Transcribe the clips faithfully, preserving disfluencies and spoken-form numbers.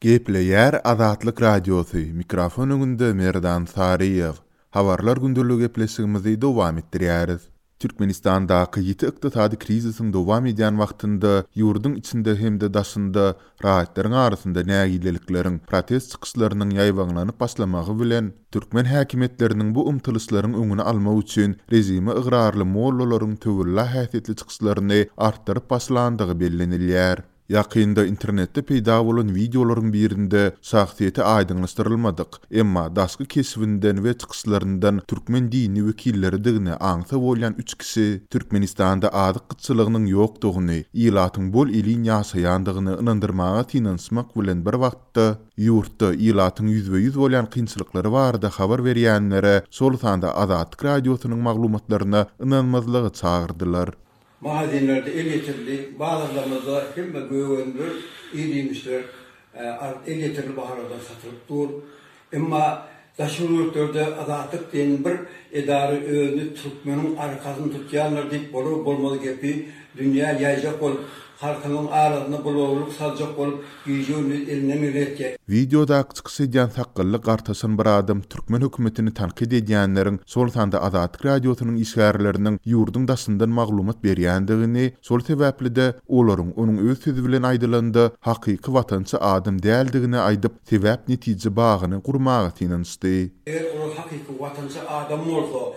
Gepleýär Azatlyk Radiosy, mikrofon öňünde Merdan Saryýew. Habarlar gündeligi gepleşigimizi dowam etdirýäris. Türkmenistandaky ýiti ykdysady krizisiň dowam edýän wagtynda ýurduň içinde hem-de daşynda raýatlaryň arasynda nägilelikleriň, protest çykyşlarynyň ýaýbaňlanyp başlamagy bilen, türkmen häkimiýetleriniň bu ymtylyşlaryň öňüni almak üçin režime ygrarly mollalaryň töwella häsiýetli çykyşlaryny artdyryp başlandygy bellenilýär. Ýakynda internetde peýda bolan wideolaryň birinde şahsyýeti aýdyňlaşdyrylmadyk, emma daşky keşbinden we çykyşlaryndan türkmen dini wekilleridigini aňsa bolýan üç kişi Türkmenistanda azyk gytçylygynyň ýokdugyny, ilatyň bol-elin ýaşaýandygyny ynandyrmaga synanyşmak bilen bir wagtda, ýurtda ilatyň ýüzbe-ýüz bolýan kynçylyklary barada habar berýänlere, şol sanda Azatlyk Radiosynyň maglumatlaryna ynanmazlyga çagyrdylar. Magazinlerde elýeterli, bazarlarymyzda hemme gök-önümler, ir-iýmişler elýeterli bahalardan satylyp dur. Emma daşary ýurtlarda Azatlyk diýen bir edara özüni türkmeniň arkasyny tutýanlar diýip bolar-bolmaz gepi dünýä ýaýjak bolup, halkymyň arasynda bulawlyk saljak bolup gije-gündiz elinden geleni etýär. Wideodaky çykyş edýän sakgally gartaşan bir adam türkmen hökümetini tankyt edýänleriň, şol sanda Azatlyk Radiosynyň işgärleriniň ýurduň daşyndan maglumat berýändigini, şol sebäpli-de olaryň onuň öz sözi bilen aýdylanda hakyky watançy adam däldigini aýdyp, sebäp-netije bagyny gurmaga synanyşdy. Eger olar hakyky watançy adam bolsa,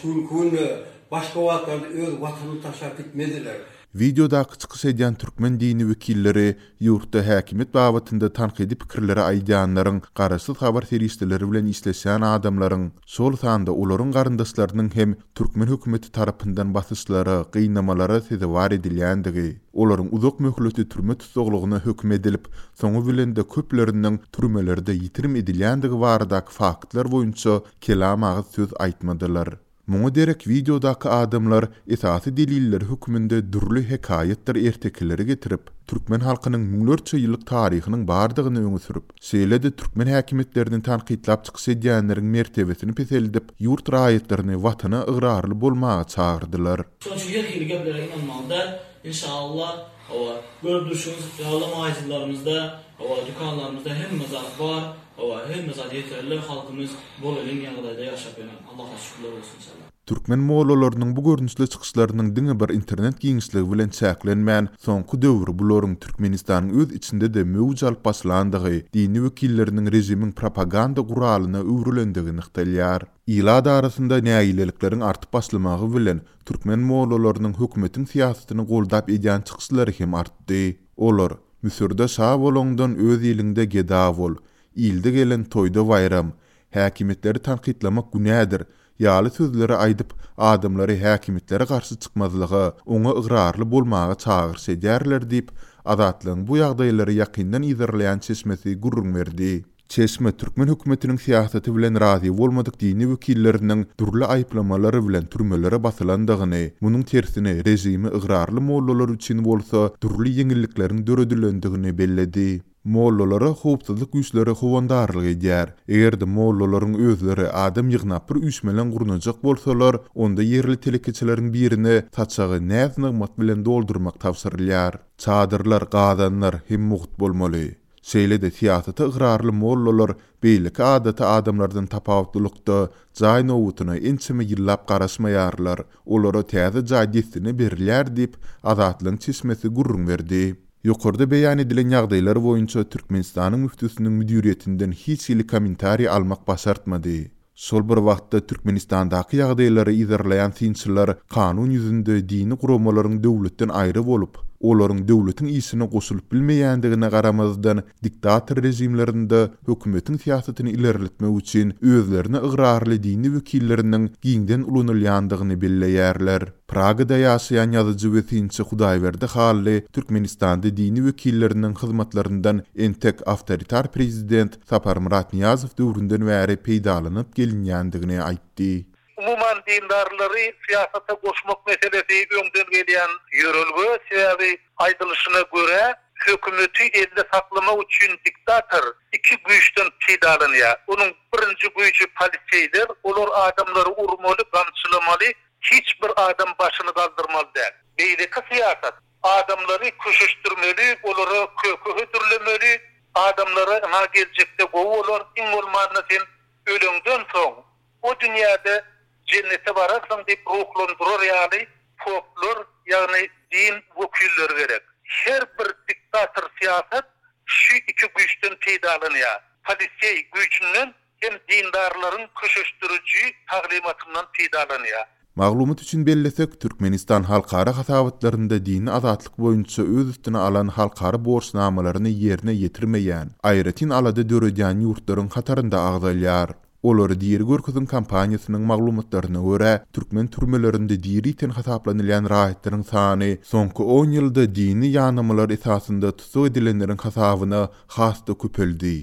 şu günki günde başga wagtlarda öz watanyny taşlap gitmezdiler. Wideodaky çykyş edýän türkmen dini wekilleri ýurtda häkimiýet babatynda tankydy pikirleri aýdýanlaryň, garaşsyz habar serişdeleri bilen işleşýän adamlaryň, şol sanda olaryň garyndaşlarynyň hem türkmen hökümeti tarapyndan basyşlara, gynamalara sezewar edilýändigi, olaryň uzak möhletli türme tussaglygyna höküm edilip, soňy bilen-de köpleriniň türmelerde ýitirim edilýändigi baradaky faktlar boýunça kelam agyz söz aýtmadylar. Muňa derek wideodaky adamlar esasy deliller hökmünde dürli hekaýatdyr ertekileri getirip, türkmen halkynyň müňlerçe ýyllyk taryhynyň bardygyny öňe sürüp, şeýle-de türkmen häkimiýetlerini tankytlap çykyş edýänleriň mertebesini peseldip, ýurt raýatlaryny watana ygrarly bolmaga çagyrdylar. Şonuň üçin her hili geplere ynanmaly däl. Inşallah, hawa, görüp durşuňyz ýaly magazinlerimizde, hawa, dükanlarymyzda hemme zat bar, hawa, hemme zat ýeterli, halkymyz bol-elin ýagdaýda ýaşap ýören. Allaha şükürler bolsun inşallah. Türkmen mollalarynyň bu görnüşli çykyşlarynyň diňe bir internet giňişligi bilen çäklenmän, soňky döwür bularyň Türkmenistanyň öz içinde-de möwç alyp başlandygy, dini wekilleriniň režimiň propaganda guralyna öwrülendigi nygtalýar. Ilat arasynda nägilelikleriň artyp başlamagy bilen türkmen mollalarynyň hökümetiň syýasatyny goldap edýän çykyşlary hem artdy. Olar Müsürde şa bolaňdan öz iliňde geda bol, ilde gelen toýda baýram, häkimiýetleri tankytlamak günädir ýaly sözleri aýdyp, adamlary häkimiýetlere garşy çykmazlyga, oňa ygrarly bolmaga çagyryş edýärler diýip, Azatlygyň bu ýagdaýlary ýakyndan yzarlaýan çeşmesi gürrüň berdi. Çeşme türkmen hökümetiniň syýasaty bilen razy bolmadyk dini wekilleriniň dürli aýyplamalary bilen türmelere basylandygyny, munuň tersine režime ygrarly mollalar üçin bolsa dürli ýeňillikleriň döredilendigini belledi. Mollalara howpsuzlyk güýçleri howandarlyk edýär. Eger-de mollalaryň özleri adam ýygnap bir üýşmeleň gurnajak bolsalar, onda ýerli telekeçileriň birine saçagy näz-nygmat bilen doldurmak tabşyrylýar. Çadyrlar, gazanlar hem mugt bolmaly. Şeýle-de syýasata ygrarly mollalar beýleki adaty adamlardan tapawutlylykda jaý nobatyna ençeme ýyllap garaşmaýarlar. Olara täze jaý dessine berilýär diýip, Azatlygyň çeşmesi gürrüň berdi. Ýokarda beýan edilen ýagdaýlar boýunça Türkmenistanyň müftüsiniň müdiriýetinden hiç hili kommentariý almak başartmady. Şol bir wagtda Türkmenistandaky ýagdaýlary yzarlaýan synçylar kanun ýüzünde dini guramalaryň döwletden aýry bolup, olaryň döwletiň işine goşulyp bilmeýändigine garamazdan, diktator režimlerinde hökümetiň syýasatyny ilerletmek üçin özlerine ygrarly dini wekilleriniň giňden ulanylýandygyny belleýärler. Pragada ýaşaýan ýazyjy we synçy Hudaýberdi Hally Türkmenistanda dini wekilleriniň hyzmatlaryndan entek awtoritar prezident Saparmyrat Nyýazow döwründen bäri peýdalanyp gelinýändigini aýtdy. Umuman dindarlary syýasata goşmak meselesi öňden gelýän ýörelge, sebäbi aýdylyşyna görä hökümeti elde saklamak üçin diktator iki güýçden peýdalanýar. Onuň birinji güýji poliseýler, olar adamlary urmaly, gamçylamaly, hiç bir adam başyny galdyrmaly däl. Beýleki syýasat adamlary köşeşdirmeli, olara köke hödürlemeli, Adamlara ynha geljekde gowy bolar, iň bolmanda sen öleňden soň o dünýäde jennete bararsyň diýip ruhlandyrar ýaly poplar, ýagny din wekilleri gerek. Her bir diktator syýasat şu iki güýçden peýdalanýar. Poliseý güýjünden hem dindarlaryň köşeşdiriji taglymatyndan peýdalanýar. Maglumat üçin bellesek, Türkmenistan halkara hasabatlarynda dini azatlyk boýunça öz üstüne alan halkara borçnamalaryny ýerine ýetirmeýän, aýratyn alada döredýän ýurtlaryň hatarynda agzalýar. Olary diri görkezin kampaniýasynyň maglumatlaryna görä, türkmen türmelerinde diri iten hasaplanylýan raýatlaryň sany soňky on ýylda dini ýanamalar esasynda tussag edilenleriň hasabyna has-da köpeldi.